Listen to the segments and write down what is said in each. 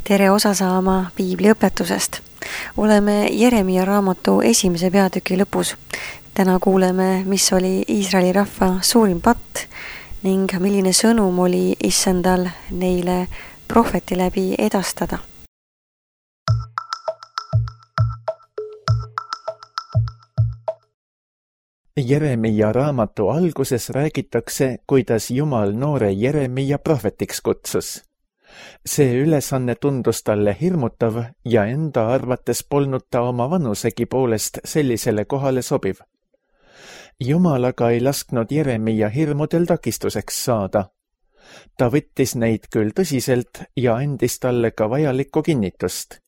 Tere osa saama piibliõpetusest. Oleme Jeremia raamatu 1. peatüki lõpus. Täna kuuleme, mis oli Iisraeli rahva suurim patt ning milline sõnum oli issandal neile prohveti läbi edastada. Jeremia raamatu alguses räägitakse, kuidas Jumal noore Jeremia prohvetiks kutsus. See ülesanne tundus talle hirmutav ja enda arvates polnud ta oma vanusegi poolest sellisele kohale sobiv. Jumal aga ei lasknud Jeremia hirmudel takistuseks saada. Ta võttis neid küll tõsiselt ja andis talle ka vajalikku kinnitust.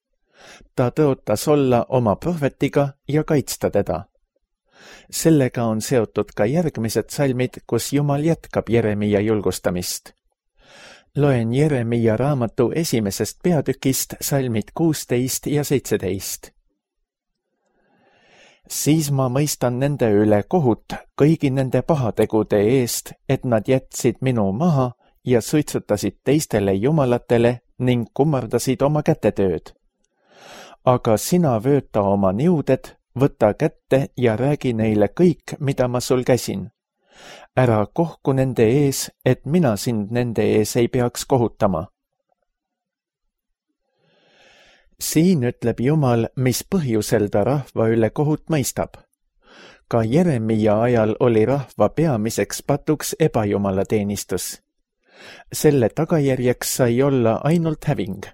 Ta tõotas olla oma prohvetiga ja kaitsta teda. Sellega on seotud ka järgmised salmid, kus Jumal jätkab Jeremia julgustamist. Loen Jeremia raamatu 1. peatükist salmid 16 ja 17. Siis ma mõistan nende üle kohut kõigi nende pahategude eest, et nad jätsid minu maha ja suitsutasid teistele jumalatele ning kummardasid oma kätetööd. Aga sina vööta oma niuded, võta kätte ja räägi neile kõik, mida ma sul käsin. Ära kohku nende ees, et mina sind nende ees ei peaks kohutama. Siin ütleb Jumal, mis põhjusel ta rahva üle kohut mõistab. Ka Jeremia ajal oli rahva peamiseks patuks ebajumalateenistus. Selle tagajärjeks sai olla ainult häving.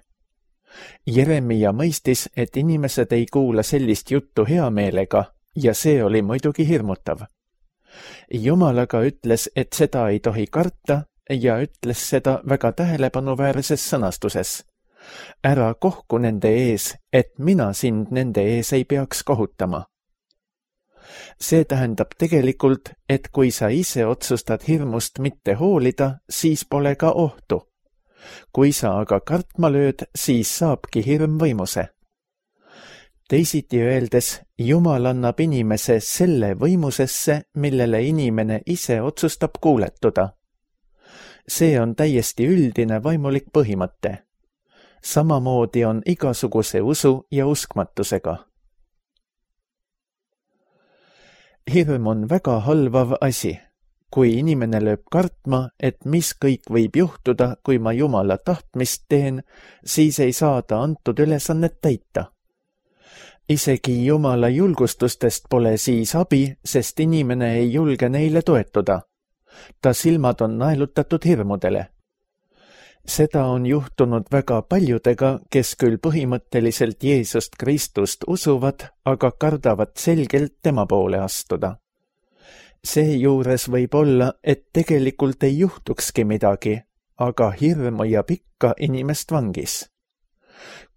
Jeremia mõistis, et inimesed ei kuula sellist juttu hea meelega ja see oli muidugi hirmutav. Jumal aga ütles, et seda ei tohi karta ja ütles seda väga tähelepanuväärses sõnastuses. Ära kohku nende ees, et mina sind nende ees ei peaks kohutama. See tähendab tegelikult, et kui sa ise otsustad hirmust mitte hoolida, siis pole ka ohtu. Kui sa aga kartma lööd, siis saabki hirm võimuse. Teisiti öeldes, Jumal annab inimese selle võimusesse, millele inimene ise otsustab kuuletuda. See on täiesti üldine vaimulik põhimõte. Samamoodi on igasuguse usu ja uskmatusega. Hirm on väga halvav asi. Kui inimene lööb kartma, et mis kõik võib juhtuda, kui ma Jumala tahtmist teen, siis ei saa ta antud ülesannet täita. Isegi Jumala julgustustest pole siis abi, sest inimene ei julge neile toetuda. Ta silmad on naelutatud hirmudele. Seda on juhtunud väga paljudega, kes küll põhimõtteliselt Jeesust Kristust usuvad, aga kardavad selgelt tema poole astuda. Seejuures võib olla, et tegelikult ei juhtukski midagi, aga hirm hoiab ikka inimest vangis.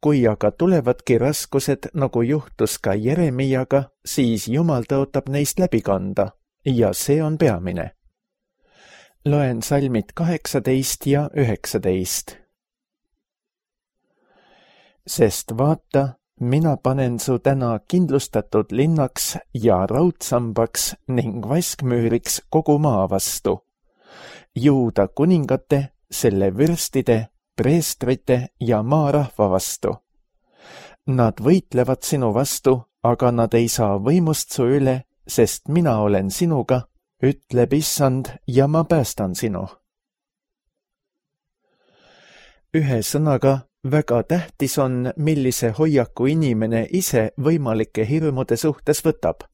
Kui aga tulevadki raskused, nagu juhtus ka Jeremiaga, siis Jumal tõotab neist läbi kanda ja see on peamine. Loen salmid 18 ja 19. Sest vaata, mina panen su täna kindlustatud linnaks ja raudsambaks ning vaskmüüriks kogu maa vastu. Juuda kuningate, selle vürstide, preestrite ja maarahva vastu. Nad võitlevad sinu vastu, aga nad ei saa võimust su üle, sest mina olen sinuga, ütleb issand ja ma päästan sinu. Ühe sõnaga, väga tähtis on, millise hoiaku inimene ise võimalike hirmude suhtes võtab.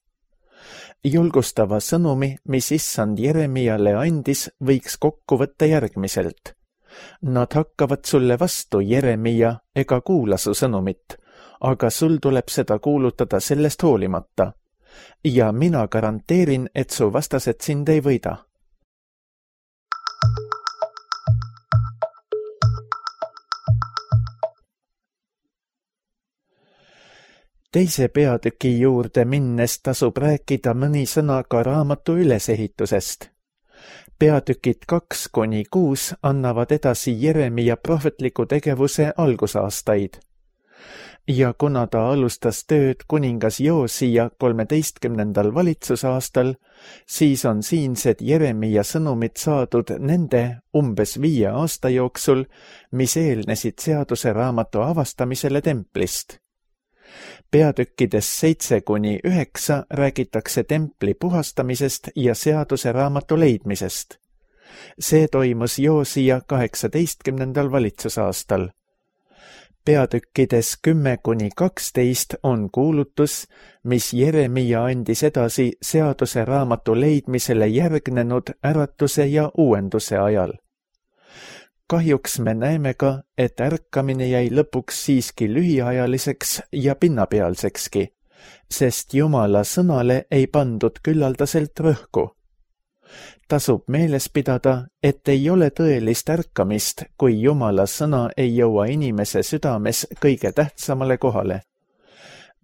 Julgustava sõnumi, mis issand Jeremiale andis, võiks kokku võtta järgmiselt. Nad hakkavad sulle vastu, Jeremia, ega kuula su sõnumit, aga sul tuleb seda kuulutada sellest hoolimata. Ja mina garanteerin, et su vastased sind ei võida. Teise peatüki juurde minnes tasub rääkida mõni sõna ka raamatu ülesehitusest. Peatükid 2-6 annavad edasi Jeremia prohvetliku tegevuse algusaastaid. ja kuna ta alustas tööd kuningas Joosija 13. valitsusaastal, siis on siinsed Jeremia sõnumid saadud nende umbes 5 aasta jooksul, mis eelnesid seaduse raamatu avastamisele templist. Peatükkides 7-9 räägitakse templi puhastamisest ja seaduse raamatu leidmisest. See toimus Joosija 18. valitsusaastal. Peatükkides 10-12 on kuulutus, mis Jeremia andis edasi seaduse raamatu leidmisele järgnenud äratuse ja uuenduse ajal. Kahjuks me näeme ka, et ärkamine jäi lõpuks siiski lühiajaliseks ja pinnapealsekski, sest Jumala sõnale ei pandud küllaldaselt rõhku. Tasub meeles pidada, et ei ole tõelist ärkamist, kui Jumala sõna ei jõua inimese südames kõige tähtsamale kohale.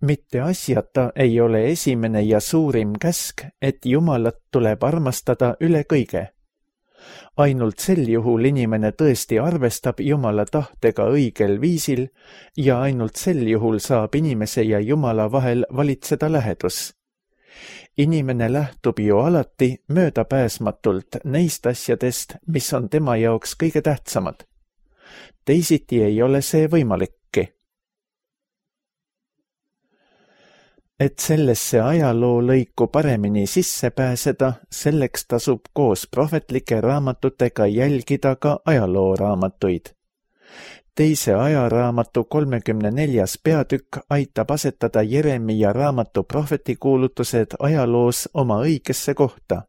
Mitte asjata ei ole esimene ja suurim käsk, et Jumalat tuleb armastada üle kõige. Ainult sel juhul inimene tõesti arvestab Jumala tahtega õigel viisil ja ainult sel juhul saab inimese ja Jumala vahel valitseda lähedus. Inimene lähtub ju alati möödapääsmatult neist asjadest, mis on tema jaoks kõige tähtsamad. Teisiti ei ole see võimalikki. Et sellesse ajaloolõiku paremini sisse pääseda, selleks tasub koos prohvetlike raamatutega jälgida ka ajalooraamatuid. Teise ajaraamatu 34. peatükk aitab asetada Jeremia raamatu prohvetikuulutused ajaloos oma õigesse kohta.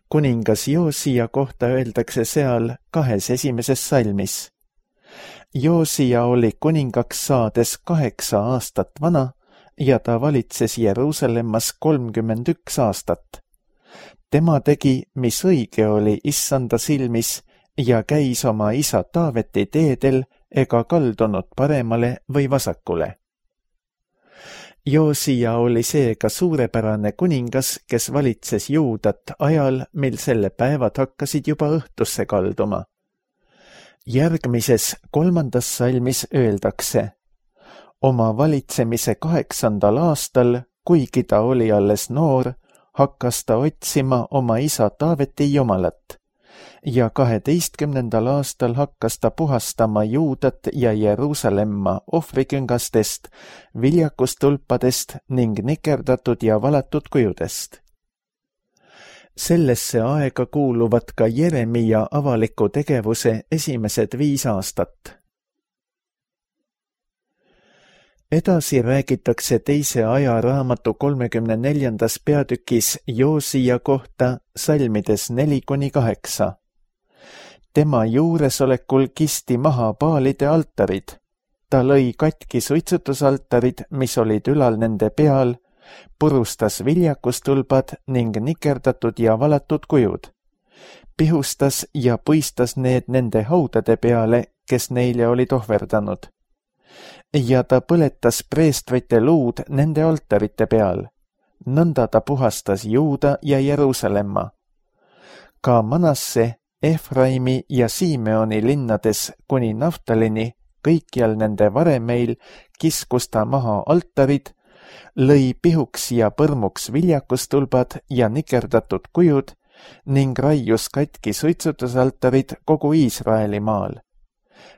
Kuningas Joosija kohta öeldakse seal 2 esimeses salmis. Joosija oli kuningaks saades 8 aastat vana ja ta valitses Jeruusalemmas 31 aastat. Tema tegi, mis õige oli issanda silmis, ja käis oma isa Taaveti teedel ega kaldunud paremale või vasakule. Joosija oli seega suurepärane kuningas, kes valitses Juudat ajal, mil selle päevad hakkasid juba õhtusse kalduma. Järgmises 3. salmis öeldakse: oma valitsemise 8. aastal, kuigi ta oli alles noor, hakkas ta otsima oma isa Taaveti Jumalat. Ja 12. aastal hakkas ta puhastama Juudat ja Jeruusalemma ohvriküngastest, viljakustulpadest ning nikerdatud ja valatud kujudest. Sellesse aega kuuluvad ka Jeremia avaliku tegevuse esimesed 5 aastat. Edasi räägitakse teise ajaraamatu 34. peatükis Joosija kohta salmides 4-8. Tema juuresolekul kisti maha Baalide altarid. Ta lõi katki suitsutusaltarid, mis olid ülal nende peal, purustas viljakustulbad ning nikerdatud ja valatud kujud. Pihustas ja puistas need nende haudade peale, kes neile olid ohverdanud. Ja ta põletas preestrite luud nende altarite peal. Nõnda ta puhastas Juuda ja Jeruusalemma. Ka Manasse, Efraimi ja Simeoni linnades kuni Naftalini, kõikjal nende varemeil, kiskus ta maha altarid, lõi pihuks ja põrmuks viljakustulbad ja nikerdatud kujud ning raius katki suitsutusaltarid kogu Iisraeli maal.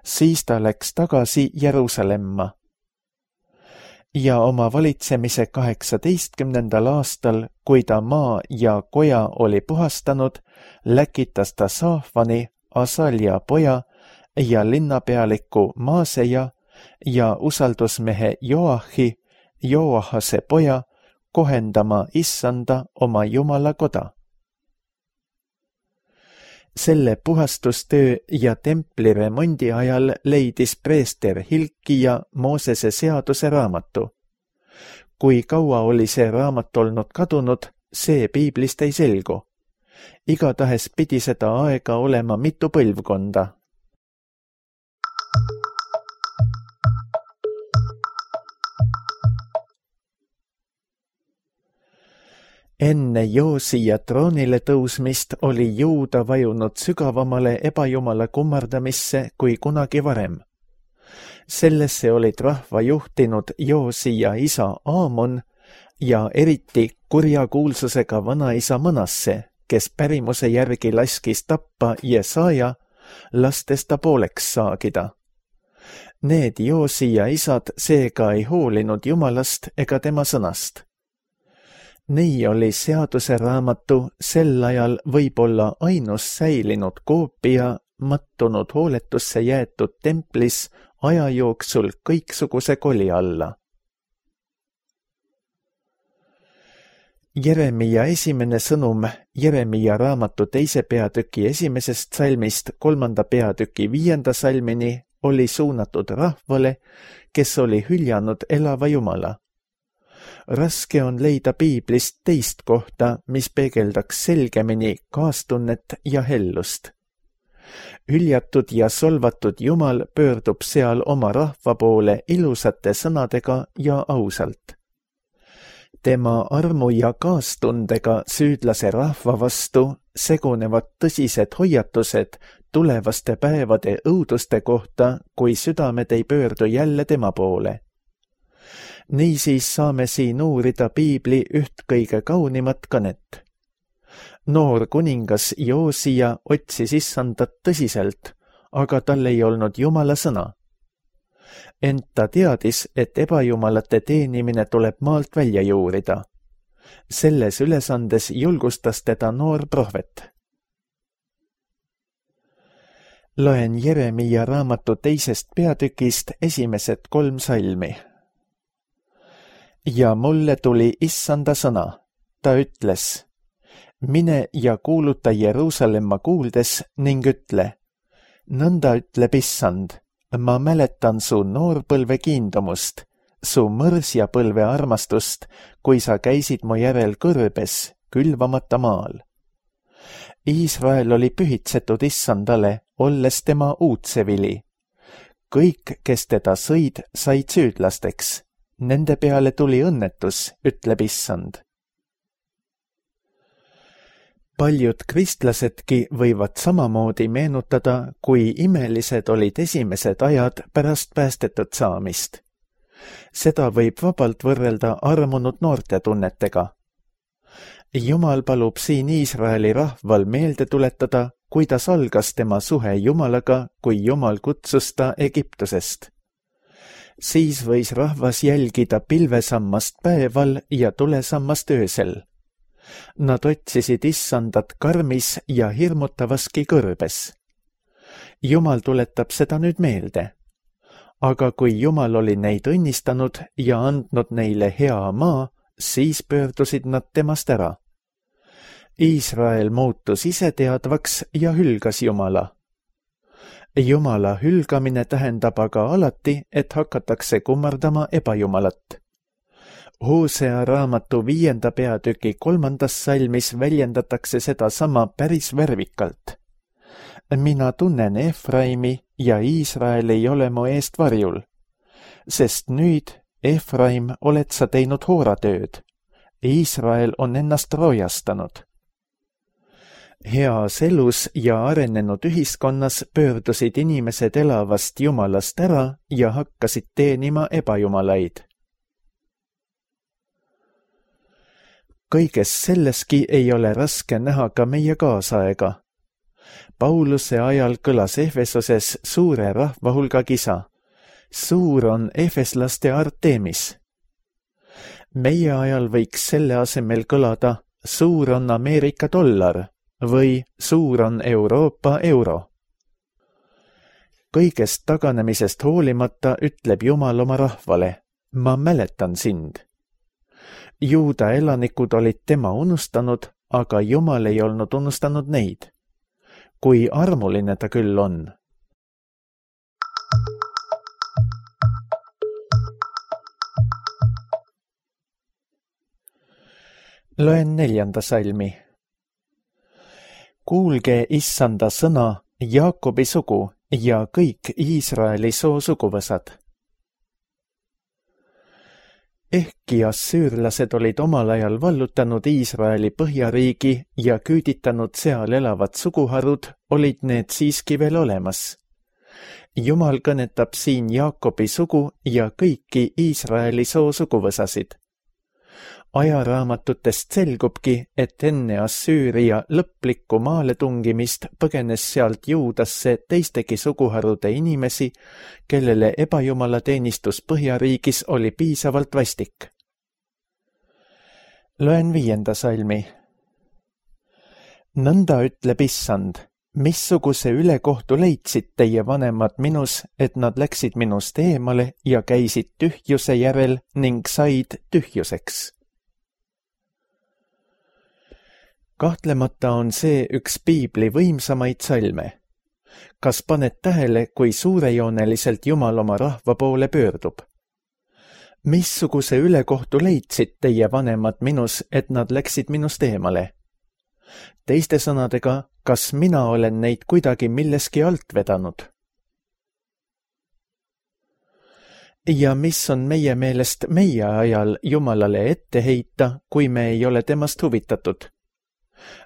Siis ta läks tagasi Jeruusalemma. Ja oma valitsemise 18. aastal, kui ta maa ja koja oli puhastanud, läkitas ta Saafani, Asalja poja ja linnapealiku Maaseja ja usaldusmehe Joahi, Joahase poja, kohendama issanda oma Jumala koda. Selle puhastustöö ja templi remondi ajal leidis preester Hilkija Moosese seaduse raamatu. Kui kaua oli see raamat olnud kadunud, see piiblist ei selgu. Igatahes pidi seda aega olema mitu põlvkonda. Enne Joosija troonile tõusmist oli Juuda vajunud sügavamale ebajumala kummardamisse kui kunagi varem. Sellesse olid rahva juhtinud Joosia isa Aamon ja eriti kurja kuulsusega vanaisa Manasse, kes pärimuse järgi laskis tappa Jesaja, lastes ta pooleks saagida. Need Joosia isad seega ei hoolinud Jumalast ega tema sõnast. Nii oli seaduse raamatu sel ajal võib-olla ainus säilinud koopia mattunud hooletusse jäetud templis aja jooksul kõiksuguse koli alla. Jeremia esimene sõnum Jeremia raamatu 2. peatüki 1. salmist 3. peatüki 5. salmini oli suunatud rahvale, kes oli hüljanud elava Jumala. Raske on leida piiblist teist kohta, mis peegeldaks selgemini kaastunnet ja hellust. Hüljatud ja solvatud Jumal pöördub seal oma rahva poole ilusate sõnadega ja ausalt. Tema armu ja kaastundega süüdlase rahva vastu segunevad tõsised hoiatused tulevaste päevade õuduste kohta, kui südamed ei pöördu jälle tema poole. Niisiis saame siin uurida piibli üht kõige kaunimat kõnet. Noor kuningas Joosia otsis issandat tõsiselt, aga tal ei olnud Jumala sõna. Ent ta teadis, et ebajumalate teenimine tuleb maalt välja juurida. Selles ülesandes julgustas teda noor prohvet. Loen Jeremia raamatu 2. peatükist esimesed 3 salmi. Ja mulle tuli issanda sõna. Ta ütles, mine ja kuuluta Jeruusalemma kuuldes ning ütle, nõnda ütleb issand, ma mäletan su noorpõlve kiindumust, su mõrsjapõlve armastust, kui sa käisid mu järel kõrbes, külvamata maal. Iisrael oli pühitsetud issandale, olles tema uudsevili. Kõik, kes teda sõid, said süüdlasteks. Nende peale tuli õnnetus, ütleb issand. Paljud kristlasedki võivad samamoodi meenutada, kui imelised olid esimesed ajad pärast päästetud saamist. Seda võib vabalt võrrelda armunud noorte tunnetega. Jumal palub siin Iisraeli rahval meelde tuletada, kuidas algas tema suhe Jumalaga, kui Jumal kutsus ta Egiptusest. Siis võis rahvas jälgida pilvesammast päeval ja tulesammast öösel. Nad otsisid issandat karmis ja hirmutavaski kõrbes. Jumal tuletab seda nüüd meelde. Aga kui Jumal oli neid õnnistanud ja andnud neile hea maa, siis pöördusid nad temast ära. Iisrael muutus iseteadvaks ja hülgas Jumala. Jumala hülgamine tähendab aga alati, et hakatakse kummardama ebajumalat. Hosea raamatu 5. peatüki 3. salmis väljendatakse seda sama päris värvikalt. Mina tunnen Efraimi ja Iisrael ei ole mu eest varjul, sest nüüd, Efraim, oled sa teinud hooratööd. Iisrael on ennast roojastanud. Heas elus ja arenenud ühiskonnas pöördusid inimesed elavast Jumalast ära ja hakkasid teenima ebajumalaid. Kõiges selleski ei ole raske näha ka meie kaasaega. Pauluse ajal kõlas Efesoses suure rahvahulga kisa. Suur on efeslaste Artemis. Meie ajal võiks selle asemel kõlada suur on Ameerika dollar või suur on Euroopa euro. Kõigest taganemisest hoolimata ütleb Jumal oma rahvale, ma mäletan sind. Juuda elanikud olid tema unustanud, aga Jumal ei olnud unustanud neid. Kui armuline ta küll on. Loen 4. salmi. Kuulge issanda sõna, Jaakobi sugu ja kõik Iisraeli soo suguvõsad. Ehkki assüürlased olid omal ajal vallutanud Iisraeli põhjariigi ja küüditanud seal elavad suguharud, olid need siiski veel olemas. Jumal kõnetab siin Jaakobi sugu ja kõiki Iisraeli soosuguvõsasid. Ajaraamatutest selgubki, et enne Assüüria lõplikku maaletungimist põgenes sealt Juudasse teistegi suguharude inimesi, kellele ebajumalateenistus Põhjariigis oli piisavalt vastik. Loen 5. salmi. Nõnda ütleb Issand, missuguse ülekohtu leidsid teie vanemad minus, et nad läksid minust eemale ja käisid tühjuse järel ning said tühjuseks. Kahtlemata on see üks piibli võimsamaid salme. Kas paned tähele, kui suurejooneliselt Jumal oma rahva poole pöördub? Missuguse ülekohtu leidsid teie vanemad minus, et nad läksid minust eemale? Teiste sõnadega, kas mina olen neid kuidagi milleski alt vedanud? Ja mis on meie meelest meie ajal Jumalale ette heita, kui me ei ole temast huvitatud?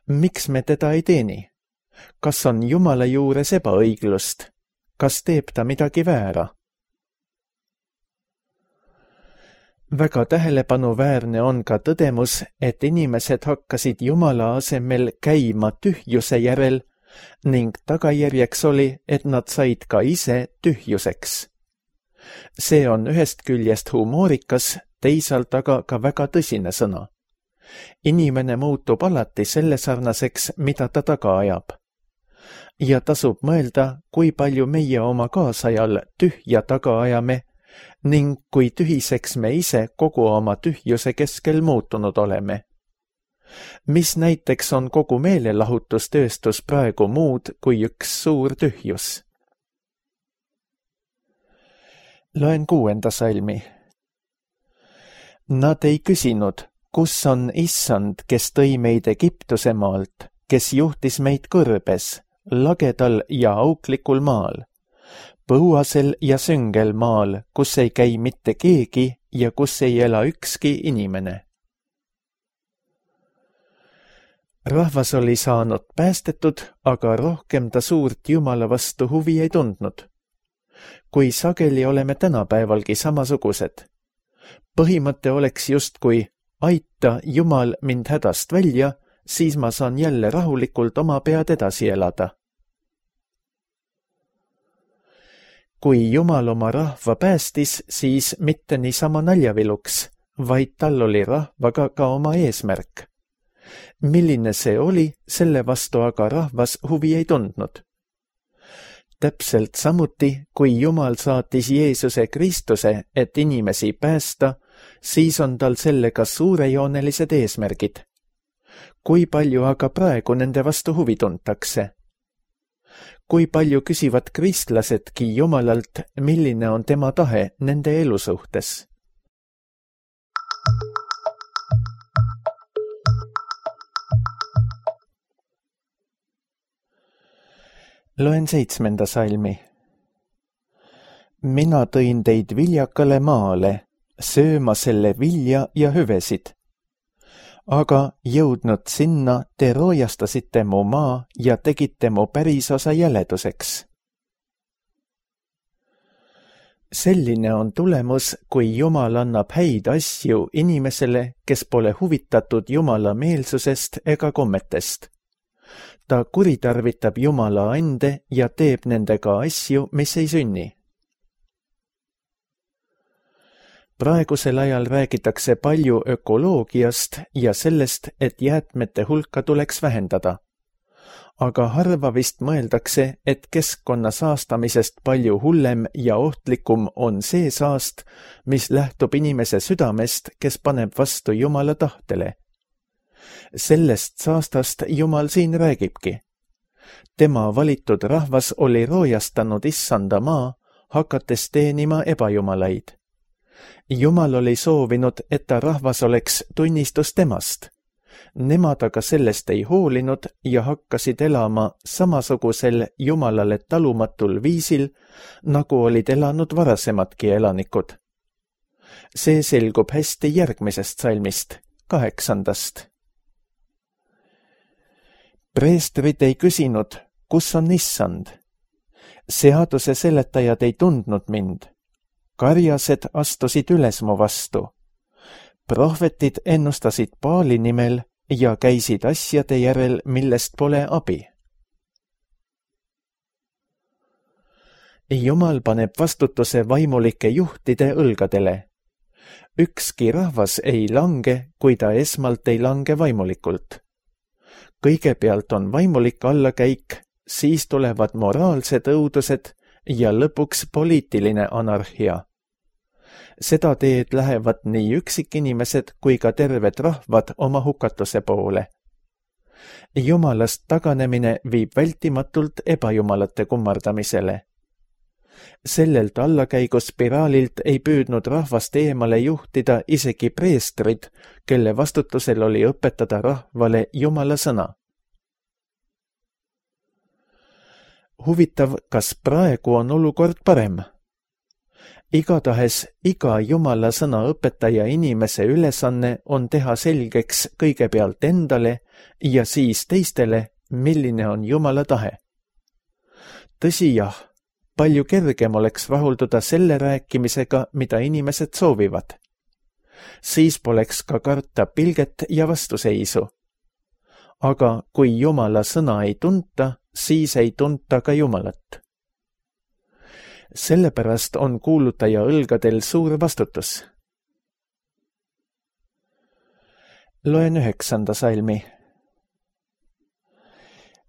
Miks me teda ei teeni? Kas on Jumala juures ebaõiglust? Kas teeb ta midagi väära? Väga tähelepanuväärne on ka tõdemus, et inimesed hakkasid Jumala asemel käima tühjuse järel ning tagajärjeks oli, et nad said ka ise tühjuseks. See on ühest küljest humoorikas, teisalt aga ka väga tõsine sõna. Inimene muutub alati selle sarnaseks, mida ta taga ajab. Ja tasub mõelda, kui palju meie oma kaasajal tühja taga ajame ning kui tühiseks me ise kogu oma tühjuse keskel muutunud oleme. Mis näiteks on kogu meelelahutustööstus praegu muud kui üks suur tühjus? Loen 6. salmi. Nad ei küsinud, kus on Issand, kes tõi meid Egiptuse maalt, kes juhtis meid kõrbes, lagedal ja auklikul maal, põuasel ja süngel maal, kus ei käi mitte keegi ja kus ei ela ükski inimene. Rahvas oli saanud päästetud, aga rohkem ta suurt Jumala vastu huvi ei tundnud. Kui sageli oleme tänapäevalgi samasugused. Põhimõte oleks justkui aita Jumal mind hädast välja, siis ma saan jälle rahulikult oma pead edasi elada. Kui Jumal oma rahva päästis, siis mitte niisama naljaviluks, vaid tal oli rahvaga ka oma eesmärk. Milline see oli, selle vastu aga rahvas huvi ei tundnud. Täpselt samuti, kui Jumal saatis Jeesuse Kristuse, et inimesi päästa, siis on tal sellega suurejoonelised eesmärgid. Kui palju aga praegu nende vastu huvi tuntakse? Kui palju küsivad kristlasedki Jumalalt, milline on tema tahe nende elu suhtes? Loen 7. salmi. Mina tõin teid viljakale maale, sööma selle vilja ja hüvesid. Aga jõudnud sinna, te roojastasite mu maa ja tegite mu pärisosa jäleduseks. Selline on tulemus, kui Jumal annab häid asju inimesele, kes pole huvitatud Jumala meelsusest ega kommetest. Ta kuritarvitab Jumala ande ja teeb nendega asju, mis ei sünni. Praegusel ajal räägitakse palju ökoloogiast ja sellest, et jäätmete hulka tuleks vähendada. Aga harva vist mõeldakse, et keskkonna saastamisest palju hullem ja ohtlikum on see saast, mis lähtub inimese südamest, kes paneb vastu Jumala tahtele. Sellest saastast Jumal siin räägibki. Tema valitud rahvas oli roojastanud Issanda maa, hakates teenima ebajumalaid. Jumal oli soovinud, et ta rahvas oleks tunnistus temast. Nemad aga sellest ei hoolinud ja hakkasid elama samasugusel Jumalale talumatul viisil, nagu olid elanud varasemadki elanikud. See selgub hästi järgmisest salmist, 8. Preestrid ei küsinud, kus on Issand. Seaduse seletajad ei tundnud mind. Karjased astusid üles mu vastu. Prohvetid ennustasid Baali nimel ja käisid asjade järel, millest pole abi. Jumal paneb vastutuse vaimulike juhtide õlgadele. Ükski rahvas ei lange, kui ta esmalt ei lange vaimulikult. Kõigepealt on vaimulik allakäik, siis tulevad moraalsed õudused ja lõpuks poliitiline anarhia. Seda teed lähevad nii üksikinimesed kui ka terved rahvad oma hukatuse poole. Jumalast taganemine viib vältimatult ebajumalate kummardamisele. Sellelt allakäiguspiraalilt ei püüdnud rahvast eemale juhtida isegi preestrid, kelle vastutusel oli õpetada rahvale Jumala sõna. Huvitav, kas praegu on olukord parem? Igatahes iga Jumala sõna õpetaja inimese ülesanne on teha selgeks kõigepealt endale ja siis teistele, milline on Jumala tahe. Tõsi jah, palju kergem oleks rahulduda selle rääkimisega, mida inimesed soovivad. Siis poleks ka karta pilget ja vastuseisu. Aga kui Jumala sõna ei tunta, siis ei tunta ka Jumalat. Sellepärast on kuulutaja õlgadel suur vastutus. Loen 9. salmi.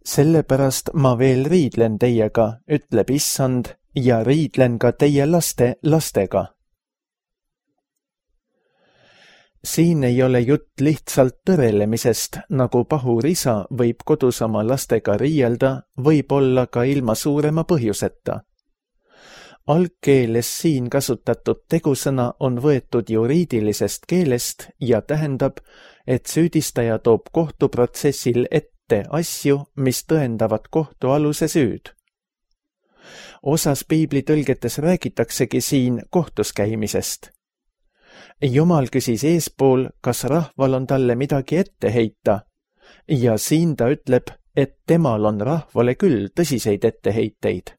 Sellepärast ma veel riidlen teiega, ütleb Issand, ja riidlen ka teie laste lastega. Siin ei ole jutt lihtsalt tõrelemisest, nagu pahur isa võib kodus oma lastega riielda, võib olla ka ilma suurema põhjuseta. Algkeeles siin kasutatud tegusõna on võetud juriidilisest keelest ja tähendab, et süüdistaja toob kohtuprotsessil ette asju, mis tõendavad kohtualuse süüd. Osas piiblitõlgetes räägitaksegi siin kohtus käimisest. Jumal küsis eespool, kas rahval on talle midagi ette heita, ja siin ta ütleb, et temal on rahvale küll tõsiseid etteheiteid.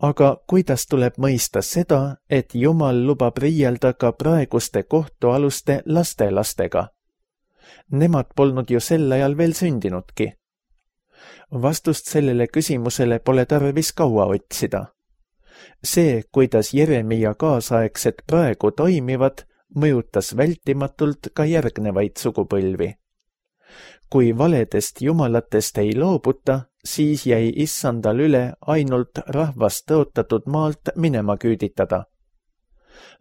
Aga kuidas tuleb mõista seda, et Jumal lubab riielda ka praeguste kohtualuste lastelastega? Nemad polnud ju sel ajal veel sündinudki. Vastust sellele küsimusele pole tarvis kaua otsida. See, kuidas Jeremia kaasaegsed praegu toimivad, mõjutas vältimatult ka järgnevaid sugupõlvi. Kui valedest jumalatest ei loobuta, siis jäi Issandal üle ainult rahvast tõotatud maalt minema küüditada.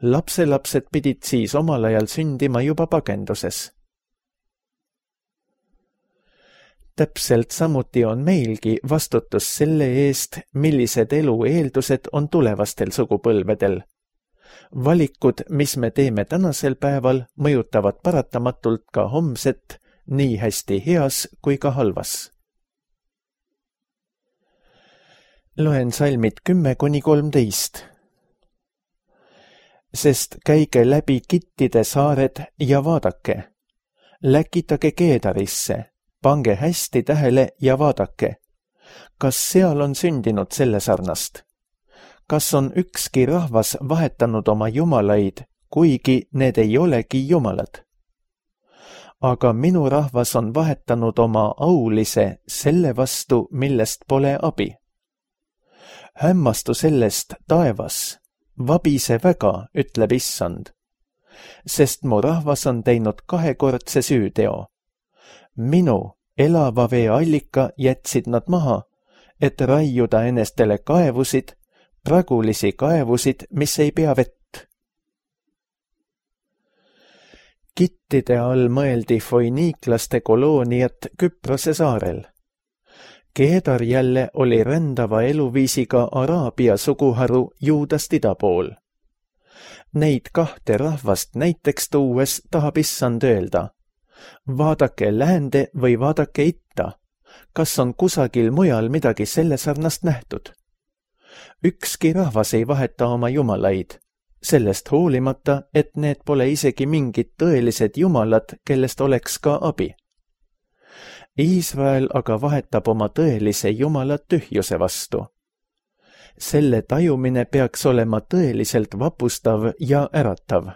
Lapselapsed pidid siis omal ajal sündima juba pagenduses. Täpselt samuti on meilgi vastutus selle eest, millised elu eeldused on tulevastel sugupõlvedel. Valikud, mis me teeme tänasel päeval, mõjutavad paratamatult ka homset, nii hästi heas kui ka halvas. Loen salmid 10-13. Sest käige läbi Kittide saared ja vaadake. Läkitage Keedarisse, pange hästi tähele ja vaadake. Kas seal on sündinud selle sarnast? Kas on ükski rahvas vahetanud oma jumalaid, kuigi need ei olegi jumalad? Aga minu rahvas on vahetanud oma aulise selle vastu, millest pole abi. Hämmastu sellest taevas, vabise väga, ütleb Issand, sest mu rahvas on teinud kahekordse süüteo. Minu elava vee allika jätsid nad maha, et raiuda enestele kaevusid, pragulisi kaevusid, mis ei pea vett. Kittide all mõeldi foiniiklaste kolooniat Küprose saarel. Keedar jälle oli rändava eluviisiga Araabia suguharu Juudast ida pool. Neid kahte rahvast näiteks tuues tahab Issand öelda. Vaadake läände või vaadake itta. Kas on kusagil mujal midagi selle sarnast nähtud? Ükski rahvas ei vaheta oma jumalaid, sellest hoolimata, et need pole isegi mingid tõelised jumalad, kellest oleks ka abi. Iisrael aga vahetab oma tõelise Jumala tühjuse vastu. Selle tajumine peaks olema tõeliselt vapustav ja äratav.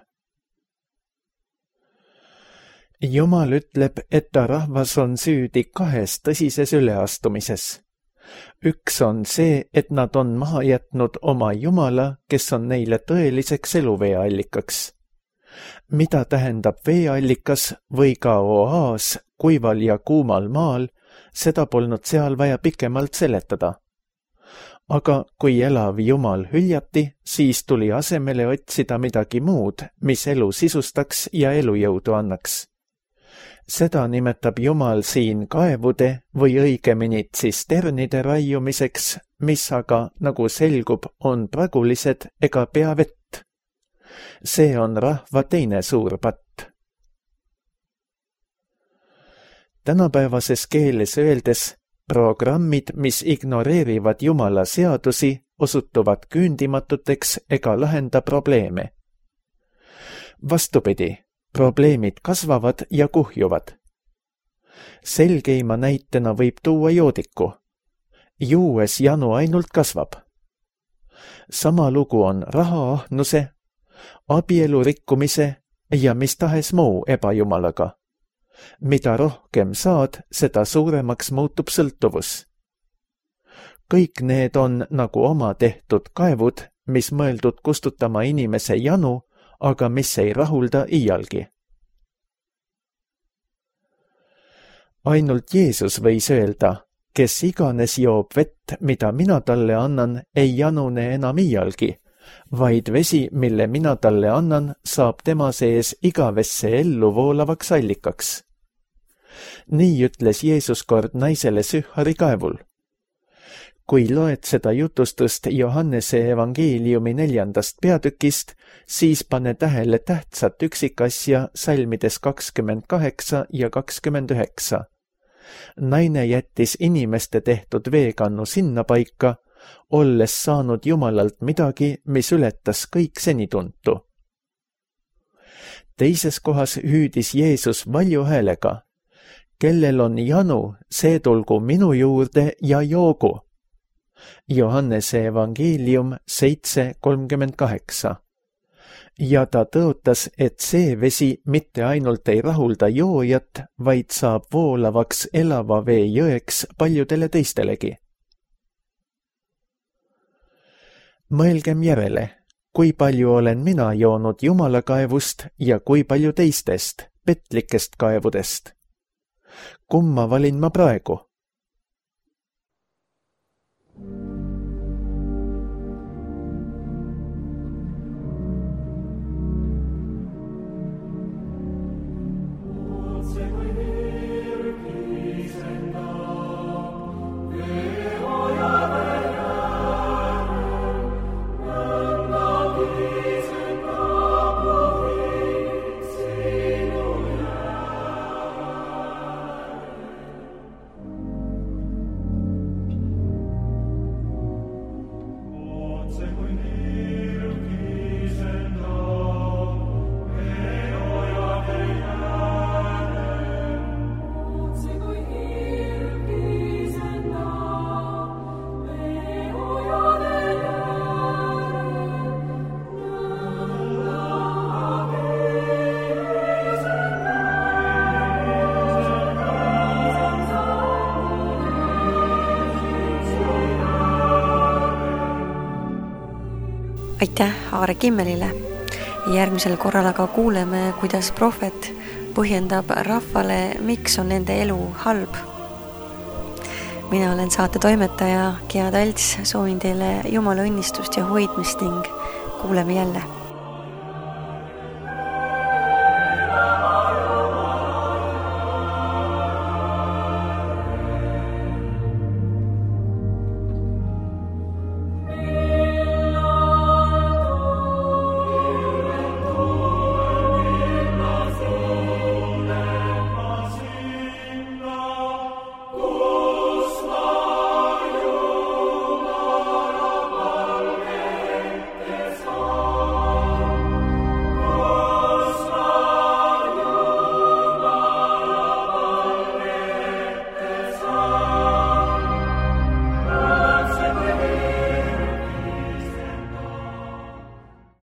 Jumal ütleb, et ta rahvas on süüdi kahes tõsises üleastumises. Üks on see, et nad on maha jätnud oma Jumala, kes on neile tõeliseks eluveeallikaks. Mida tähendab veeallikas või ka oaas kuival ja kuumal maal, seda polnud seal vaja pikemalt seletada. Aga kui elav Jumal hüljati, siis tuli asemele otsida midagi muud, mis elu sisustaks ja elujõudu annaks. Seda nimetab Jumal siin kaevude või õigemini tsisternide raiumiseks, mis aga, nagu selgub, on pragulised ega pea vett. See on rahva teine suur patt. Tänapäevases keeles öeldes, programmid, mis ignoreerivad Jumala seadusi, osutuvad küündimatuteks ega lahenda probleeme. Vastupidi, probleemid kasvavad ja kuhjuvad. Selgeima näitena võib tuua joodiku. Juues janu ainult kasvab. Sama lugu on rahaahnuse, abielu rikkumise ja mis tahes muu ebajumalaga. Mida rohkem saad, seda suuremaks muutub sõltuvus. Kõik need on nagu oma tehtud kaevud, mis mõeldud kustutama inimese janu, aga mis ei rahulda iialgi. Ainult Jeesus võis öelda, kes iganes joob vett, mida mina talle annan, ei janune enam iialgi, vaid vesi, mille mina talle annan, saab tema sees igavesse ellu voolavaks allikaks. Nii ütles Jeesus kord naisele Sühari kaevul. Kui loed seda jutustust Johannese evangeeliumi 4. peatükist, siis pane tähele tähtsat üksikasja salmides 28 ja 29. Naine jättis inimeste tehtud veekannu sinna paika, olles saanud Jumalalt midagi, mis ületas kõik senituntu. Teises kohas hüüdis Jeesus valju häälega, kellel on janu, see tulgu minu juurde ja joogu. Johannese evangeelium 7:38. Ja ta tõotas, et see vesi mitte ainult ei rahulda joojat, vaid saab voolavaks elava vee jõeks paljudele teistelegi. Mõelgem järele, kui palju olen mina joonud Jumala kaevust ja kui palju teistest, petlikest kaevudest. Kumma valin ma praegu? Aitäh Aare Kimmelile. Järgmisel korral aga kuuleme, kuidas prohvet põhjendab rahvale, miks on nende elu halb. Mina olen saate toimetaja Gea Talts, soovin teile Jumala õnnistust ja hoidmist ning kuuleme jälle.